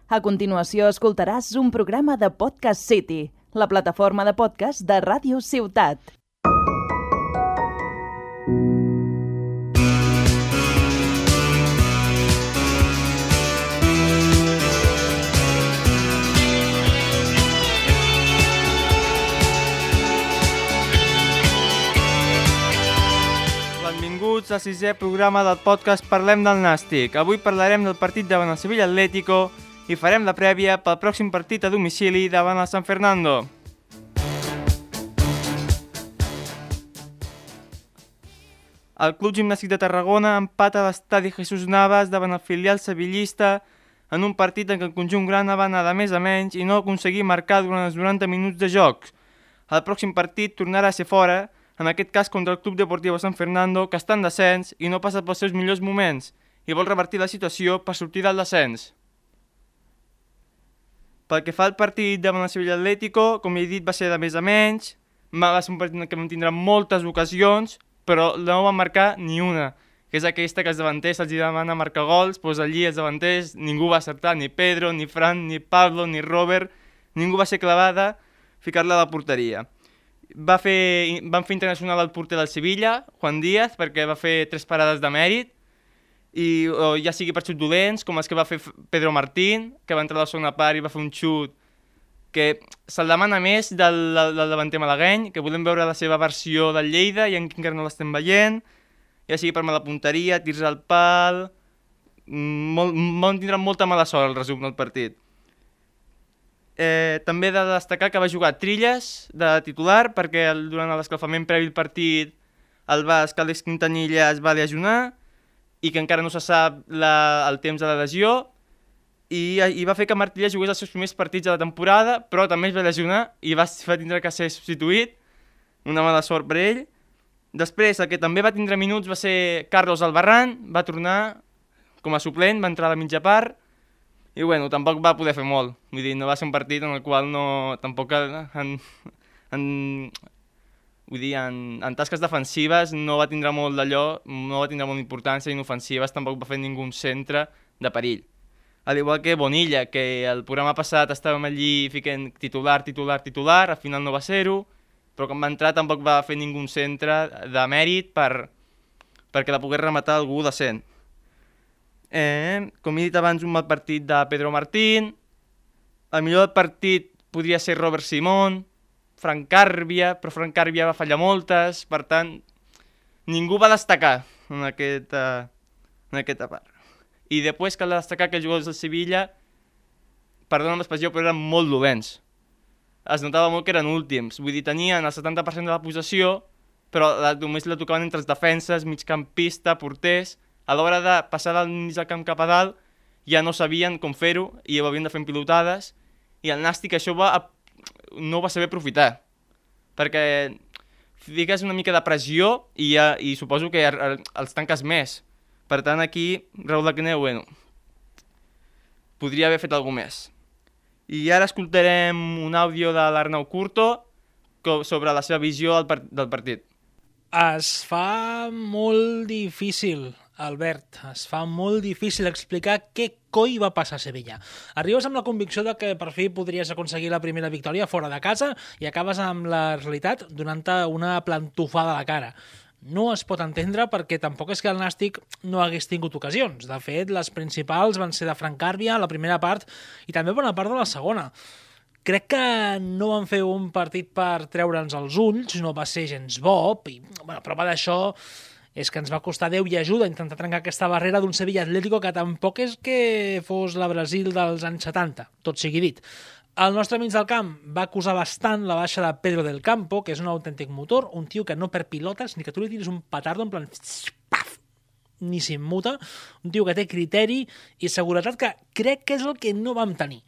A continuació escoltaràs un programa de Podcast City, la plataforma de podcast de Ràdio Ciutat. Benvinguts al sisè programa del podcast Parlem del Nàstic. Avui parlarem del partit davant el Sevilla Atlético i farem la prèvia pel pròxim partit a domicili davant el San Fernando. El Club Gimnàstic de Tarragona empata a l'estadi Jesús Navas davant el filial sevillista en un partit en què el conjunt grana va anar de més a menys i no aconseguir marcar durant els 90 minuts de joc. El pròxim partit tornarà a ser fora, en aquest cas contra el Club Deportivo San Fernando, que està en descens i no passa pels seus millors moments i vol revertir la situació per sortir del descens. Pel que fa al partit davant el Sevilla Atlético, com he dit, va ser de més a menys, va ser un partit que vam tindre moltes ocasions, però no van marcar ni una, que és aquesta que els davanters se'ls demana marcar gols, doncs allí els davanters ningú va acertar, ni Pedro, ni Fran, ni Pablo, ni Robert, ningú va ser clavada ficar-la a la porteria. Van fer internacional el porter del Sevilla, Juan Díaz, perquè va fer 3 parades de mèrit, i ja sigui per xut dolents, com els que va fer Pedro Martín, que va entrar a la segona part i va fer un xut que se'l demana més del davanter malagueny, que volem veure la seva versió del Lleida i encara no l'estem veient, ja sigui per mala punteria, tirs al pal, tindran molta mala sort el resum del partit. També he de destacar que va jugar Trilles de titular perquè durant l'escalfament previ al partit el basc Àlex Quintanilla es va lesionar i que encara no se sap el temps de la lesió i va fer que Martilla jugués els seus primers partits de la temporada, però també es va lesionar i va tindre que ser substituït, una mala sort per ell. Després el que també va tindre minuts va ser Carlos Albarrán, va tornar com a suplent, va entrar a la mitja part i bueno, tampoc va poder fer molt, vull dir, no va ser un partit en el qual tampoc en tasques defensives no va tindre molt d'allò, no va tindre molta importància i en ofensives tampoc va fer ningú centre de perill. Al igual que Bonilla, que el programa passat estàvem allí ficant titular, al final no va ser-ho, però quan va entrar tampoc va fer ningú centre de mèrit perquè la pogués rematar algú decent. Com he dit abans, un mal partit de Pedro Martín, el millor del partit podria ser Robert Simón, Frank Carbia, però Frank Carbia va fallar moltes, per tant, ningú va destacar en aquesta part. I després cal destacar que els jugadors del Sevilla, perdona l'expressió, però eren molt dolents. Es notava molt que eren últims, vull dir, tenien el 70% de la possessió, però només la tocaven entre els defenses, migcampista, porters. A l'hora de passar del mig del camp cap a dalt ja no sabien com fer-ho i ho havien de fer en pilotades i el Nàstic això no va saber aprofitar perquè fiques una mica de pressió i suposo que els tanques més. Per tant aquí Raúl Agneu, podria haver fet alguna més. I ara escoltarem un àudio de l'Arnau Curto sobre la seva visió del partit. Es fa molt difícil, Albert, explicar què coi va passar a Sevilla. Arribes amb la convicció de que per fi podries aconseguir la primera victòria fora de casa i acabes amb la realitat donant-te una plantofada a la cara. No es pot entendre perquè tampoc és que el Nàstic no hagués tingut ocasions. De fet, les principals van ser de Frank Carbia, la primera part, i també bona part de la segona. Crec que no van fer un partit per treure'ns els ulls, no va ser gens bo, i prova d'això és que ens va costar Déu i ajuda intentar trencar aquesta barrera d'un Sevilla Atlético que tampoc és que fos la Brasil dels anys 70, tot sigui dit. El nostre mig del camp va acusar bastant la baixa de Pedro del Campo, que és un autèntic motor, un tio que no perd pilotes, ni que tu li tiris un petardo en plan paf, ni s'immuta, un tio que té criteri i seguretat que crec que és el que no vam tenir.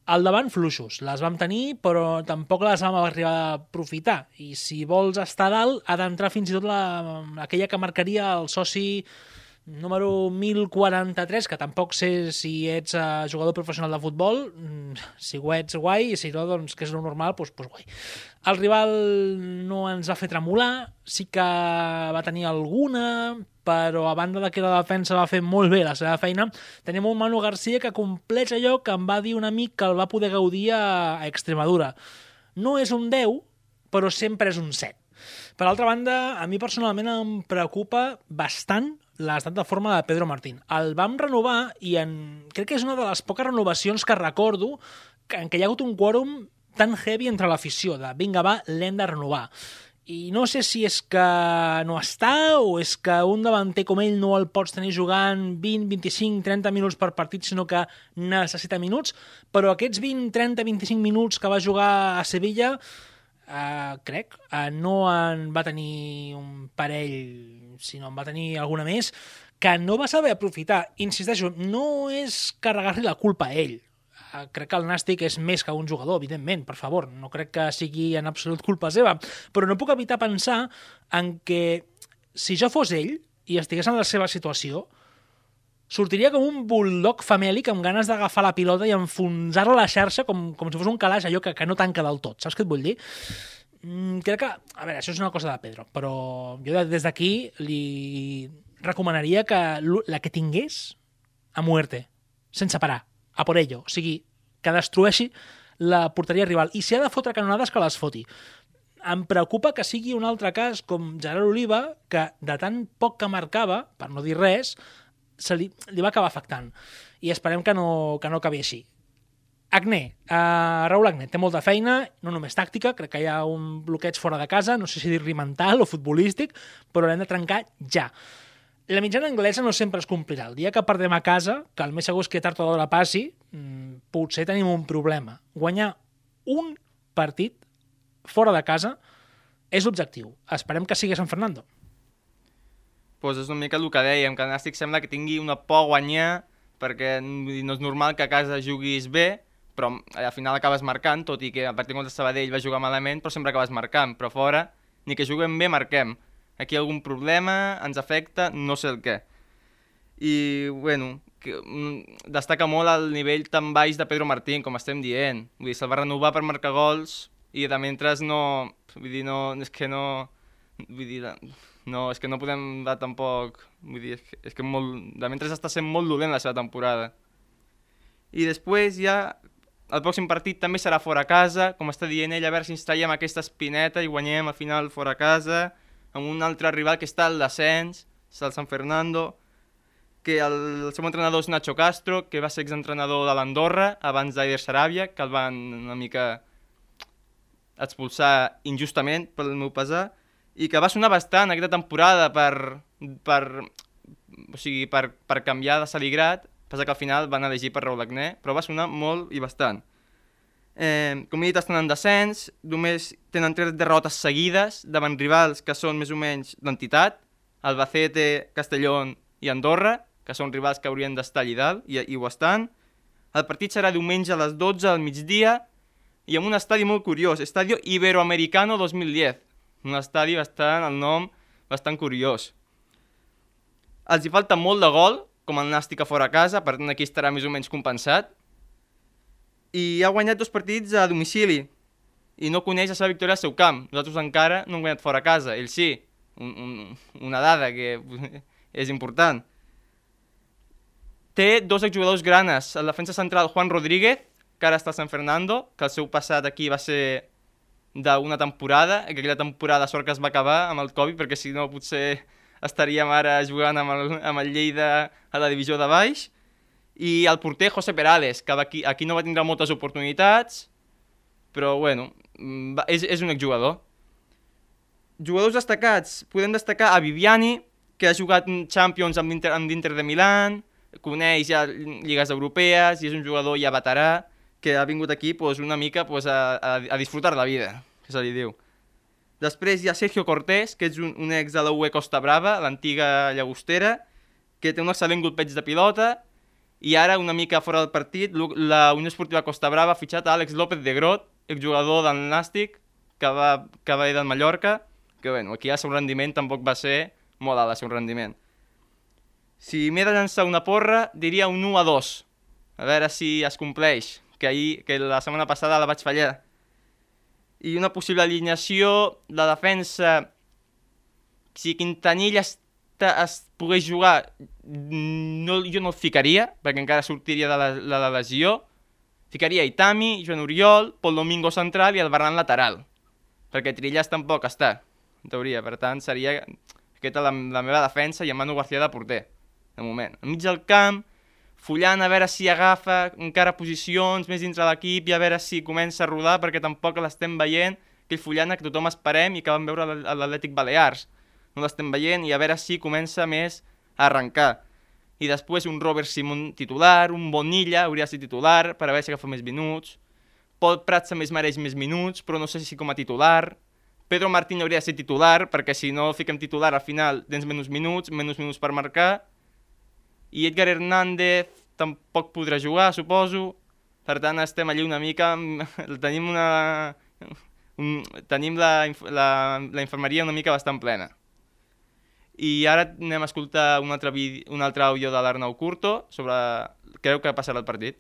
Al davant, fluixos. Les vam tenir, però tampoc les vam arribar a aprofitar. I si vols estar a dalt, ha d'entrar fins i tot aquella que marcaria el soci Número 1043, que tampoc sé si ets jugador professional de futbol, si ho ets guai, i si no, doncs que és el normal, doncs guai. El rival no ens va fer tremolar, sí que va tenir alguna, però a banda de que la defensa va fer molt bé la seva feina, tenim un Manu García que compleix allò que em va dir un amic que el va poder gaudir a Extremadura. No és un 10, però sempre és un 7. Per altra banda, a mi personalment em preocupa bastant l'estat de forma de Pedro Martín. El vam renovar i crec que és una de les poques renovacions que recordo en què hi ha hagut un quòrum tan heavy entre l'afició, de vinga va, l'hem de renovar. I no sé si és que no està o és que un davanter com ell no el pots tenir jugant 20, 25, 30 minuts per partit, sinó que necessita minuts, però aquests 20, 30, 25 minuts que va jugar a Sevilla, crec, no en va tenir un parell, sinó en va tenir alguna més, que no va saber aprofitar. Insisteixo, no és carregar-li la culpa a ell. Crec que el Nàstic és més que un jugador, evidentment, per favor, no crec que sigui en absolut culpa seva, però no puc evitar pensar en que si jo fos ell i estigués en la seva situació, sortiria com un bulldog famèlic amb ganes d'agafar la pilota i enfonsar-la a la xarxa com si fos un calaix, allò que no tanca del tot. Saps què et vull dir? Crec que, a veure, això és una cosa de Pedro, però jo des d'aquí li recomanaria que la que tingués a muerte, sense parar, a por ello, o sigui, que destrueixi la porteria rival. I si ha de fotre canonades, que les foti. Em preocupa que sigui un altre cas com Gerard Oliva, que de tan poc que marcava, per no dir res, li va acabar afectant. I esperem que no acabi així. Agné, Raúl Agné té molta feina, no només tàctica, crec que hi ha un bloqueig fora de casa, no sé si dir-li mental o futbolístic, però l'hem de trencar ja. La mitjana anglesa no sempre es complirà. El dia que perdem a casa, que el més segur és que tard o d'hora passi, potser tenim un problema. Guanyar un partit fora de casa és l'objectiu. Esperem que sigui San Fernando. Pues és una mica el que dèiem, que el Nàstic sembla que tingui una por a guanyar, perquè no és normal que a casa juguis bé, però al final acabes marcant, tot i que a partir contra Sabadell va jugar malament, però sempre acabes marcant, però fora, ni que juguem bé, marquem. Aquí hi ha algun problema, ens afecta, no sé el què. I, bueno, destaca molt el nivell tan baix de Pedro Martín, com estem dient. Vull dir, se'l va renovar per marcar gols i de mentre no... Vull dir, no... És que no... Vull dir, no, és que no podem dar tampoc... Vull dir, és que molt... De mentre està sent molt dolent la seva temporada. I després ja... El pròxim partit també serà fora a casa, com està dient ell, a veure si ens traiem aquesta espineta i guanyem al final fora a casa, amb un altre rival que està al descens, és el San Fernando, que el seu entrenador és Nacho Castro, que va ser exentrenador de l'Andorra abans d'Aider Sarabia, que el van una mica expulsar injustament pel meu pesar, i que va sonar bastant aquesta temporada per canviar de Saligrat, passa que al final van elegir per Raúl Agné, però va sonar molt i bastant. Com he dit, estan en descens, només tenen 3 derrotes seguides davant rivals que són més o menys d'entitat, Albacete, Castellón i Andorra, que són rivals que haurien d'estar allà dalt, i ho estan. El partit serà diumenge a les 12 al migdia i en un estadi molt curiós, Estadio Iberoamericano 2010, un estadi bastant, el nom, bastant curiós. Els hi falta molt de gol, com el Nàstic a fora a casa, per tant aquí estarà més o menys compensat, i ha guanyat 2 partits a domicili i no coneix la seva victòria al seu camp. Nosaltres encara no hem guanyat fora a casa, ell sí, una dada que és important. Té 2 exjugadors granes, el defensa central Juan Rodríguez, que ara està a San Fernando, que el seu passat aquí va ser d'una temporada, que aquella temporada sort que es va acabar amb el Covid, perquè si no potser estaríem ara jugant amb el Lleida a la divisió de baix. I el porter José Perales, que aquí no va tindre moltes oportunitats, però bueno, és un exjugador. Jugadors destacats, podem destacar a Viviani, que ha jugat Champions amb l'Inter de Milán, coneix ja lligues europees i és un jugador ja veterà que ha vingut aquí una mica a disfrutar la vida, que se li diu. Després hi ha Sergio Cortés, que és un ex de la UE Costa Brava, l'antiga llagostera, que té un excel·lent golpeig de pilota, i ara, una mica fora del partit, la Unió Esportiva Costa Brava ha fitxat a Àlex López de Grot, exjugador del Nàstic, que va ir del Mallorca, que bueno, aquí el seu rendiment tampoc va ser molt alt, el seu rendiment. Si m'he de llançar una porra, diria un 1-2. A veure si es compleix, que la setmana passada la vaig fallar. I una possible alineació, la defensa, si Quintanilla es pogués jugar, jo no el ficaria, perquè encara sortiria de la lesió. Ficaria Itami, Joan Oriol, Pol Domingo central i el Ferran lateral, perquè Trillas tampoc està, en teoria. Per tant, seria aquesta la meva defensa i en Manu García de porter, de moment. Al mig del camp, Fullan a veure si agafa encara posicions més dintre l'equip i a veure si comença a rodar, perquè tampoc l'estem veient, aquell Fullan que tothom esperem i que vam veure a l'Atlètic Balears. No l'estem veient i a veure si comença més a arrencar. I després un Robert Simon titular, un Bonilla hauria de ser titular per a veure si agafa més minuts. Pol Prats també es mereix més minuts, però no sé si com a titular. Pedro Martín hauria de ser titular, perquè si no el fiquem titular al final tens menys minuts per marcar. I Edgar Hernández tampoc podrà jugar, suposo. Per tant, estem allí una mica... Tenim la infermeria una mica bastant plena. I ara anem a escoltar un altre àudio de l'Arnau Curto sobre... Creu que passarà el partit?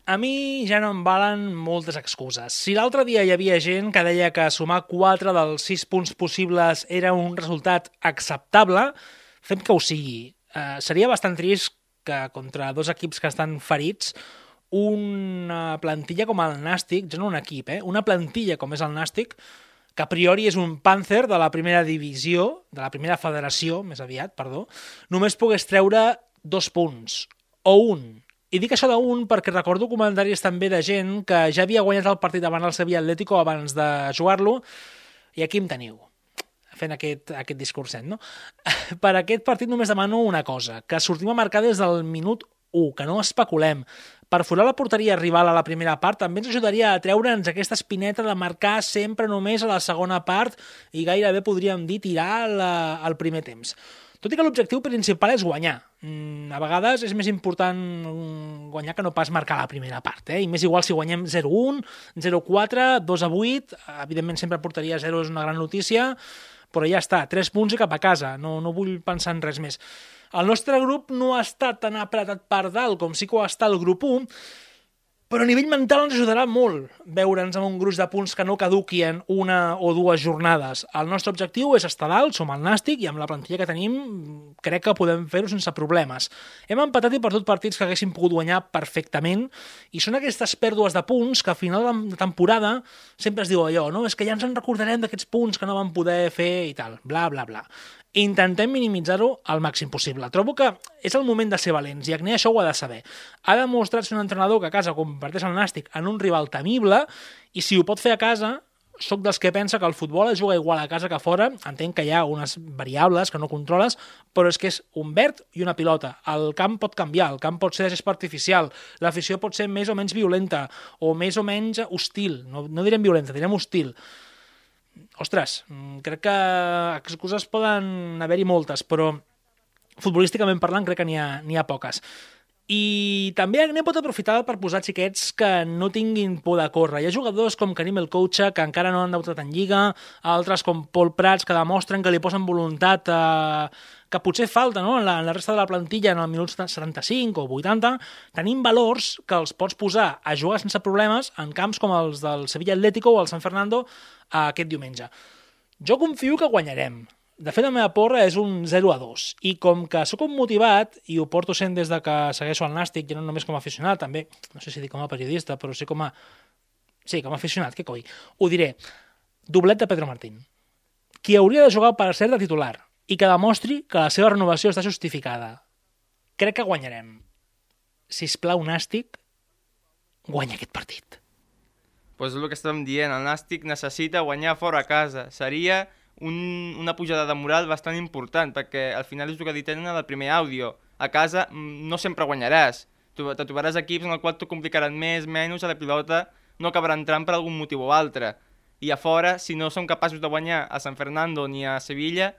A mi ja no em valen moltes excuses. Si l'altre dia hi havia gent que deia que sumar 4 dels 6 punts possibles era un resultat acceptable, fem que ho sigui. Seria bastant trist que contra 2 equips que estan ferits una plantilla com el Nàstic, ja no un equip, una plantilla com és el Nàstic, que a priori és un Panther de la primera divisió, de la primera federació, més aviat, perdó, només pogués treure 2 punts, o 1. I dic això d'un perquè recordo comentaris també de gent que ja havia guanyat el partit davant el Sevilla Atlético abans de jugar-lo, i aquí em teniu, fent aquest discurset, no? Per aquest partit només demano una cosa, que sortim a marcar des del minut 1, que no especulem. Perforar la porteria rival a la primera part també ens ajudaria a treure'ns aquesta espineta de marcar sempre només a la segona part i gairebé podríem dir tirar al primer temps. Tot i que l'objectiu principal és guanyar. A vegades és més important guanyar que no pas marcar la primera part, i més igual si guanyem 0-1, 0-4, 2-8, evidentment sempre porteria 0 és una gran notícia, però ja està, 3 punts i cap a casa, no vull pensar en res més. El nostre grup no ha estat tan apretat per dalt com sí que ho està el grup 1, però a nivell mental ens ajudarà molt veure'ns amb un gruix de punts que no caduquien 1 o 2 jornades. El nostre objectiu és estar dalt, som el Nàstic, i amb la plantilla que tenim crec que podem fer-ho sense problemes. Hem empatat i perdut partits que haguéssim pogut guanyar perfectament, i són aquestes pèrdues de punts que a final de temporada sempre es diu allò, no? És que ja ens en recordarem d'aquests punts que no vam poder fer i tal, bla, bla, bla. Intentem minimitzar-ho al màxim possible. Trobo que és el moment de ser valents i Agné això ho ha de saber. Ha demostrat ser un entrenador que a casa converteix el Nàstic en un rival temible i si ho pot fer a casa, soc dels que pensa que el futbol es juga igual a casa que a fora. Entenc que hi ha unes variables que no controles, però és que és un verd i una pilota. El camp pot canviar, el camp pot ser de gespa artificial, l'afició pot ser més o menys violenta o més o menys hostil. No direm violenta, direm hostil. Ostres, crec que excuses poden haver-hi moltes, però futbolísticament parlant crec que n'hi ha poques. I també Agné pot aprofitar per posar xiquets que no tinguin por de córrer. Hi ha jugadors com Karim El Koucha, que encara no han debutat en Lliga, altres com Pol Prats, que demostren que li posen voluntat, que potser falta, no? en la resta de la plantilla en el minut 75 o 80. Tenim valors que els pots posar a jugar sense problemes en camps com els del Sevilla Atlético o el San Fernando aquest diumenge. Jo confio que guanyarem. De fet, la meva porra és un 0-2. I com que sóc un motivat, i ho porto sent des de que segueixo el Nàstic, i no només com a aficionat, també, no sé si dic com a periodista, però sí com a... Sí, com a aficionat, què coi? Ho diré. Doblet de Pedro Martín. Qui hauria de jugar per ser de titular i que demostri que la seva renovació està justificada. Crec que guanyarem. Sisplau, Nàstic, guanya aquest partit. Pues és el que estàvem dient, el Nàstic necessita guanyar fora a casa. Seria una pujada de moral bastant important, perquè al final és el que dit en el primer àudio. A casa no sempre guanyaràs. Te trobaràs equips en el qual t'ho complicaran més, menys, a la pilota no acabarà entrant per algun motiu o altre. I a fora, si no som capaços de guanyar a San Fernando ni a Sevilla,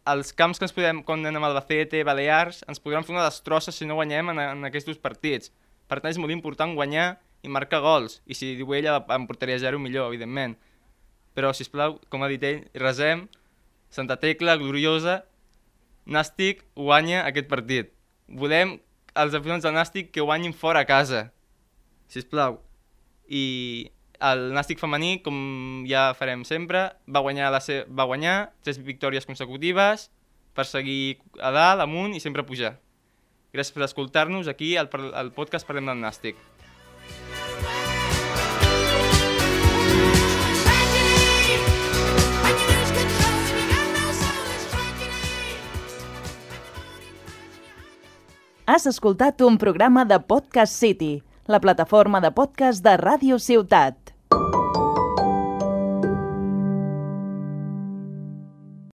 els camps que ens podem, quan anem a Albacete, Balears, ens podran fer una destrossa si no guanyem en aquests partits. Per tant, és molt important guanyar i marcar gols. I si diu ella, en porteria 0, millor, evidentment. Però, sisplau, com ha dit ell, resem, Santa Tecla, gloriosa, Nàstic guanya aquest partit. Volem els aficionats del Nàstic que guanyin fora a casa, sisplau. I el Nàstic femení, com ja farem sempre, va guanyar 3 victòries consecutives per seguir a dalt, amunt i sempre pujar. Gràcies per escoltar-nos aquí al podcast Parlem del Nàstic. Has escoltat un programa de Podcast City, la plataforma de podcast de Ràdio Ciutat.